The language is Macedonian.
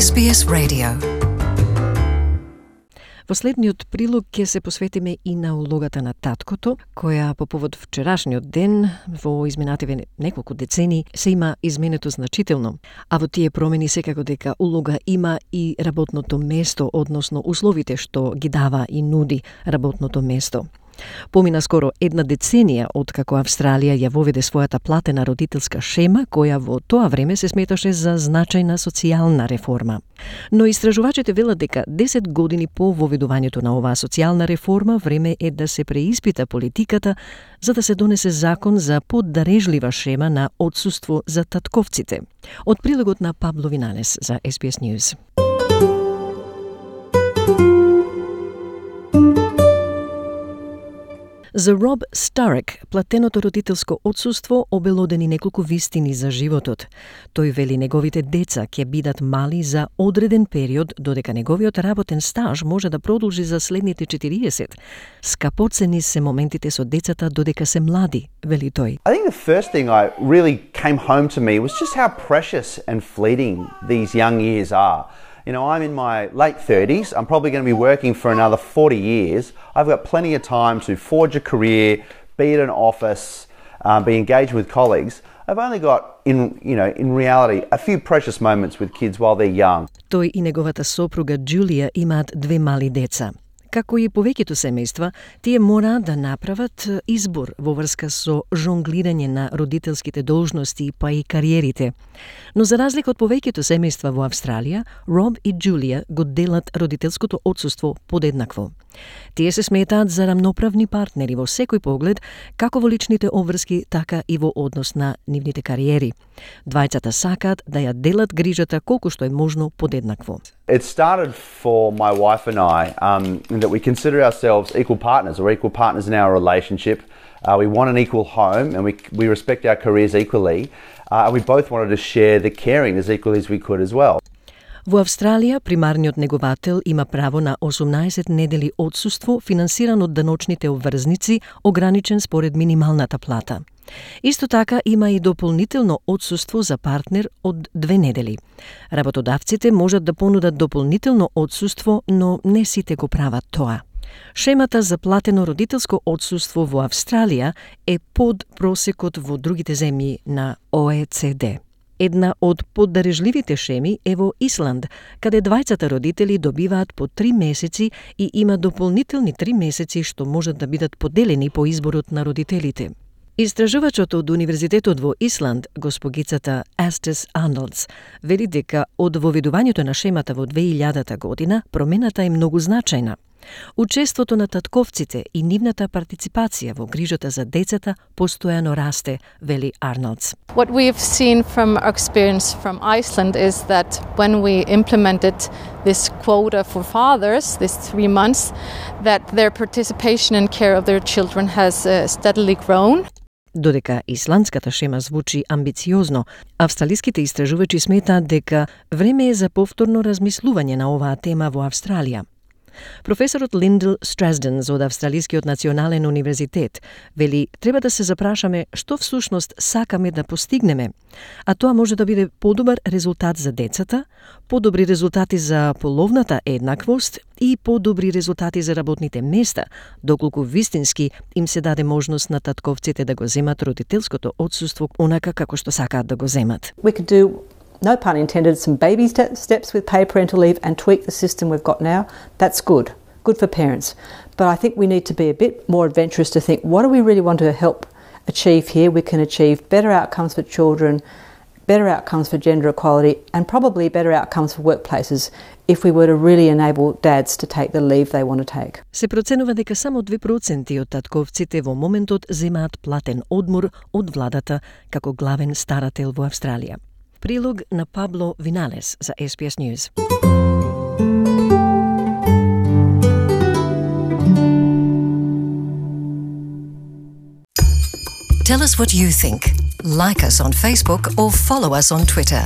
SBS Radio. Во следниот прилог ќе се посветиме и на улогата на таткото, која по повод вчерашниот ден во изминативе неколку децени се има изменето значително, а во тие промени секако дека улога има и работното место, односно условите што ги дава и нуди работното место. Помина скоро една деценија откако Австралија ја воведе својата платена родителска шема, која во тоа време се сметаше за значајна социјална реформа. Но истражувачите велат дека 10 години по воведувањето на оваа социјална реформа, време е да се преиспита политиката за да се донесе закон за поддарежлива шема на отсуство за татковците. Од прилогот на Пабло Виналес за SBS News. За Роб Старек, платеното родителско отсуство обелодени неколку вистини за животот. Тој вели неговите деца ќе бидат мали за одреден период, додека неговиот работен стаж може да продолжи за следните 40. Скапоцени се моментите со децата додека се млади, вели тој. I think the first thing I really came home to me was just how precious and fleeting these young years are. You know, I'm in my late 30s. I'm probably going to be working for another 40 years. I've got plenty of time to forge a career, be at an office, be engaged with colleagues. I've only got, in reality, a few precious moments with kids while they're young. Тој и неговата сопруга Джулија имаат 2 мали деца. Како и повеќето семејства, тие мораат да направат избор во врска со жонглирање на родителските должности па и кариерите. Но за разлика од повеќето семејства во Австралија, Роб и Джулија го делат родителското отсуство подеднакво. Тие се сметаат за рамноправни партнери во секој поглед, како во личните обврски, така и во однос на нивните кариери. Двајцата сакаат да ја делат грижата колку што е можно подеднакво. It started for my wife and I that we consider ourselves equal partners in our relationship. We want an equal home and we respect our careers equally. We both wanted to share the caring as equally as we could as well. Во Австралија, примарниот неговател има право на 18 недели отсуство, финансиран од даночните обврзници, ограничен според минималната плата. Исто така има и дополнително отсуство за партнер од 2 недели. Работодавците можат да понудат дополнително отсуство, но не сите го прават тоа. Шемата за платено родителско отсуство во Австралија е под просекот во другите земји на ОЕЦД. Една од поддарежливите шеми е во Исланд, каде двајцата родители добиваат по 3 месеци и има дополнителни 3 месеци што можат да бидат поделени по изборот на родителите. Истражувачот од Универзитетот во Исланд, госпогицата Астис Арнолдс, вели дека од воведувањето на шемата во 2000 година промената е многу значајна. Учеството на татковците и нивната партиципација во грижата за децата постојано расте, вели Арнолдс. What we've seen from our experience from Iceland is that when we implemented this quota for fathers, this 3 months, that their participation in care of their children has steadily grown. Додека исландската шема звучи амбициозно, австралиските истражувачи сметаат дека време е за повторно размислување на оваа тема во Австралија. Професорот Линдл Страсден од Австралискиот национален универзитет вели треба да се запрашаме што всушност сакаме да постигнеме, а тоа може да биде подобар резултат за децата, подобри резултати за половната еднаквост и подобри резултати за работните места, доколку вистински им се даде можност на татковците да го земат родителското отсуство онака како што сакаат да го земат. We could do, no pun intended, some baby steps with paid parental leave and tweak the system we've got now. That's good for parents. But I think we need to be a bit more adventurous to think, what do we really want to help achieve here? We can achieve better outcomes for children, better outcomes for gender equality, and probably better outcomes for workplaces if we were to really enable dads to take the leave they want to take. Се проценува дека само 2% од татковците во моментот земаат платен одмор од владата како главен старател во Австралија. Прилог на Пабло Виналес за SBS News. Tell us what you think. Like us on Facebook or follow us on Twitter.